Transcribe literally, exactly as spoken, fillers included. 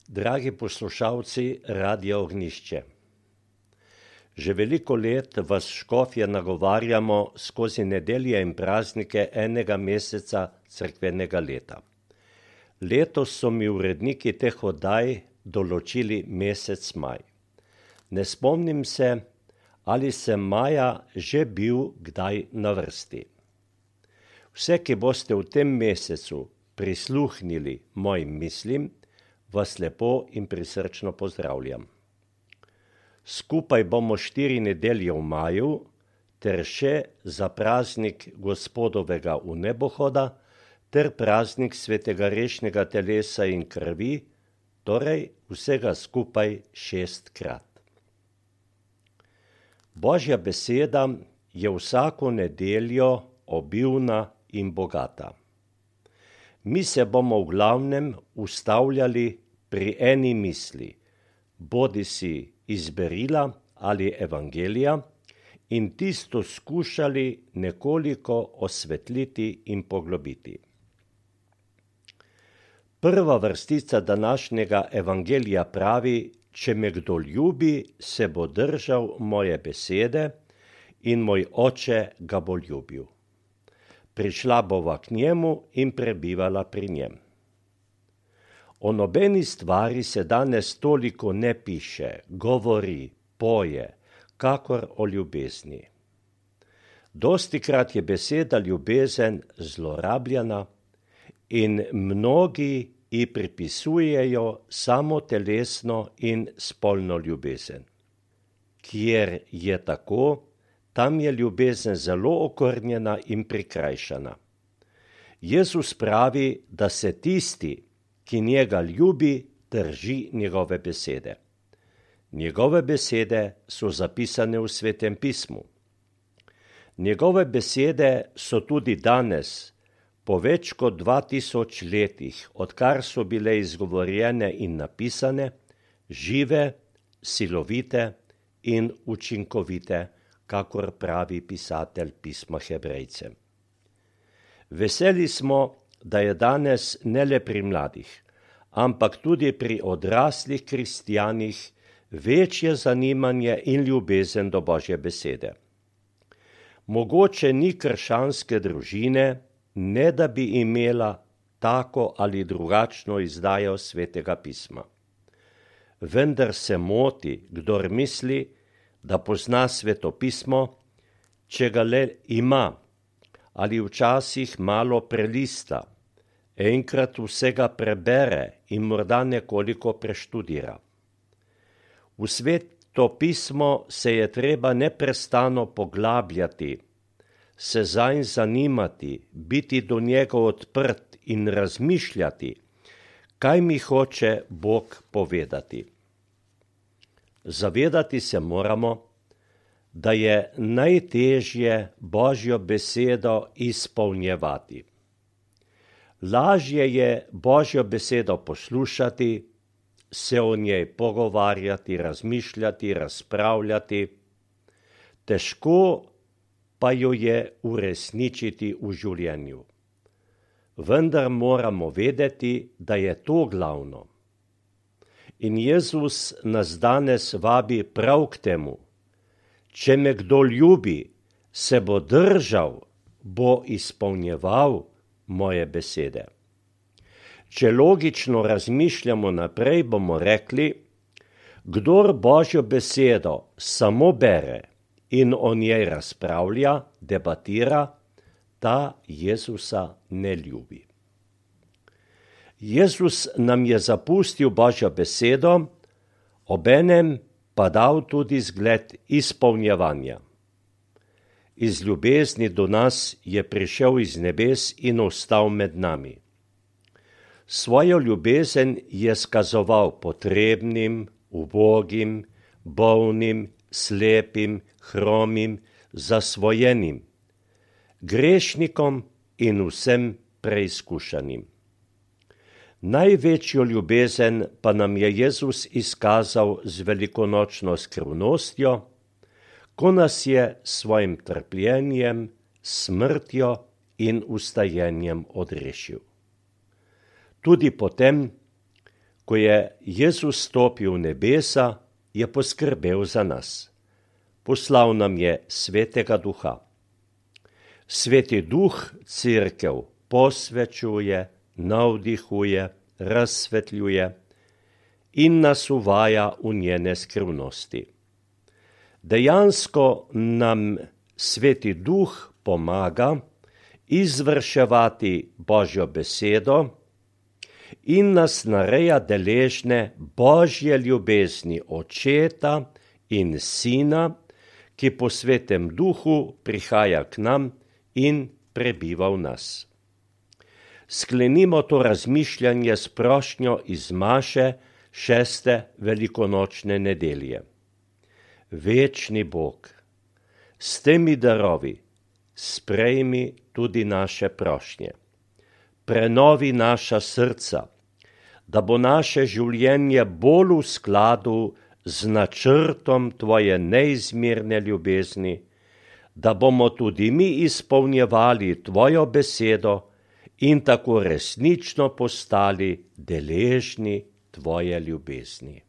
Dragi poslušalci Radia Ognjišče, že veliko let vas škofje nagovarjamo skozi nedelje in praznike enega meseca cerkvenega leta. Letos so mi uredniki teh oddaj določili mesec maj. Ne spomnim se, ali sem maja že bil kdaj na vrsti. Vse, ki boste v tem mesecu prisluhnili mojim mislim, vas lepo in prisrčno pozdravljam. Skupaj bomo štiri nedelje v maju ter še za praznik Gospodovega vnebohoda ter praznik svetega rešnega telesa in krvi, torej vsega skupaj šestkrat. Božja beseda je vsako nedeljo obilna in bogata. Mi se bomo v glavnem ustavljali pri eni misli, bodisi iz berila ali evangelija, in tisto skušali nekoliko osvetliti in poglobiti. Prva vrstica današnjega evangelija pravi: če me kdo ljubi, se bo držal moje besede in moj oče ga bo ljubil. Prišla bova k njemu in prebivala pri njem. O nobeni stvari se danes toliko ne piše, govori, poje, kakor o ljubezni. Dostikrat je beseda ljubezen zlorabljena in mnogi ji pripisujejo samo telesno in spolno ljubezen. Kjer je tako, tam je ljubezen zelo okrnjena in prikrajšana. Jezus pravi, da se tisti, ki njega ljubi, drži njegove besede. Njegove besede so zapisane v Svetem pismu. Njegove besede so tudi danes, po več kot dva tisoč letih, odkar so bile izgovorjene in napisane, žive, silovite in učinkovite, kakor pravi pisatelj pisma Hebrejcem. Veseli smo, da je danes ne le pri mladih, ampak tudi pri odraslih kristjanih večje zanimanje in ljubezen do Božje besede. Mogoče ni krščanske družine, ne da bi imela tako ali drugačno izdajo Svetega pisma. Vendar se moti, kdor misli, da pozna Sveto pismo, če ga le ima, ali včasih malo prelista, enkrat vsega prebere in morda nekoliko preštudira. V Sveto pismo se je treba neprestano poglabljati, se zanj zanimati, biti do njega odprt in razmišljati, kaj mi hoče Bog povedati. Zavedati se moramo, da je najtežje Božjo besedo izpolnjevati. Lažje je Božjo besedo poslušati, se o njej pogovarjati, razmišljati, razpravljati, težko pa jo je uresničiti v življenju. Vendar moramo vedeti, da je to glavno. In Jezus nas danes vabi prav k temu: če me kdo ljubi, se bo držal, bo izpolnjeval moje besede. Če logično razmišljamo naprej, bomo rekli: kdor Božjo besedo samo bere in o njej razpravlja, debatira, ta Jezusa ne ljubi. Jezus nam je zapustil Božjo besedo, obenem pa dal tudi zgled izpolnjevanja. Iz ljubezni do nas je prišel iz nebes in ostal med nami. Svojo ljubezen je skazoval potrebnim, ubogim, bolnim, slepim, hromim, zasvojenim, grešnikom in vsem preizkušanim. Največjo ljubezen pa nam je Jezus izkazal z velikonočno skrivnostjo, ko nas je s svojim trpljenjem, smrtjo in vstajenjem odrešil. Tudi potem, Ko je Jezus stopil v nebesa, je poskrbel za nas. Poslal nam je Svetega Duha. Sveti Duh Cerkev posvečuje, navdihuje, razsvetljuje in nas uvaja v njene skrivnosti. Dejansko nam Sveti Duh pomaga izvrševati Božjo besedo in nas nareja deležne Božje ljubezni Očeta in Sina, ki po Svetem Duhu prihaja k nam in prebiva v nas. Sklenimo to razmišljanje s prošnjo iz Maše šeste velikonočne nedelje. Večni Bog, s temi darovi sprejmi tudi naše prošnje. Prenovi naša srca, da bo naše življenje bolj v skladu z načrtom Tvoje neizmerne ljubezni, da bomo tudi mi izpolnjevali Tvojo besedo in tako resnično postali deležni Tvoje ljubezni.